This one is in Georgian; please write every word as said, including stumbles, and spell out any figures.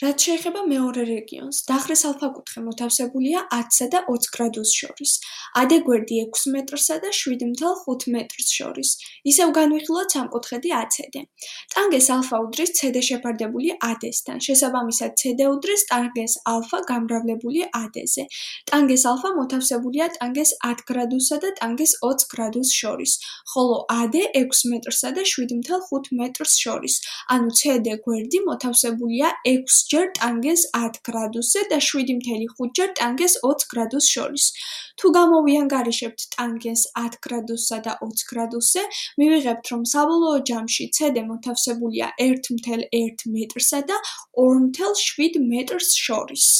რაც შეეხება მეორე რეგიონს, დახრეს ალფაკუთხე მოთავსებულია ათსა და ოც გრადუსს შორის, ად გვერდი ექვს მეტრსა და შვიდ ათეულ ხუთ მეტრს შორის, ისევ განვიხილოთ სამკუთხედი აცდ. ტანგენს ალფა უდრის ცდ შეფარდებული ად-სთან, შესაბამისად ცდ უდრის ტანგენს ალფა გამრავლებული ად-ზე. ტანგენს ალფა მოთავსებულია ტანგენს ათ გრადუსსა და ტანგენს ოც გრადუსს შორის, ხოლო ად ექვს მეტრსა და შვიდ ათეულ ხუთ მეტრს შორის, ანუ ცდ გვერდი მოთავსებულია ექვს ჯერ ტანგენს ათ გრადუსზე და შვიდ ათეულ ხუთ ჯერ ტანგენს ოც გრადუსს შორის. თუ გამოვიანგარიშებთ ტანგენს ათ გრადუსსა და ოც გრადუსზე, მივიღებთ, რომ საბოლოო ჯამში ცდ მოთავსებულია ერთ ათეულ ერთ მეტრსა და ორ ათეულ შვიდ მეტრს შორის.